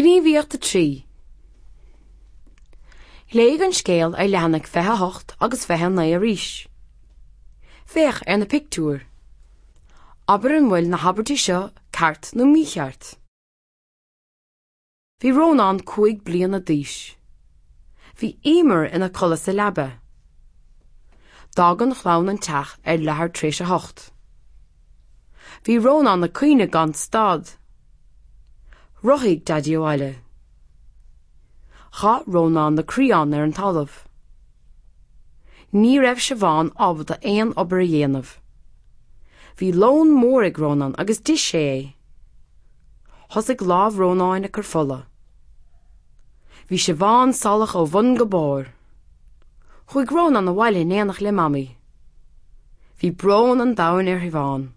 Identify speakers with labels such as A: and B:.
A: Gníomhaíocht 3. Léigh an scéal ar leathanaigh 28 agus 29 arís. Féach ar na pictiúir. Abair an bhfuil na habairtí seo ceart nó mícheart. Bhí Rónán 5 bliana d'aois. Bhí Emer ina codladh sa leaba. D'fhág an chlann an teach ar leathuair tar éis a hocht. Bhí Rónán ag caoineadh gan stad. Rothaigh Daidí abhaile. Chaith Rónán na criáin ar an talamh. Ní raibh Siobhán ábalta aon obair a dhéanamh. Bhí lón mór ag Rónán agus d'ith sé é. Thosaigh lámh Rónáin ag cur fola. Bhí Siobhán salach ó bhun go barr. Chuaigh Rónán abhaile in éineacht le Mamaí. Bhí brón an domhain ar Shiobhán.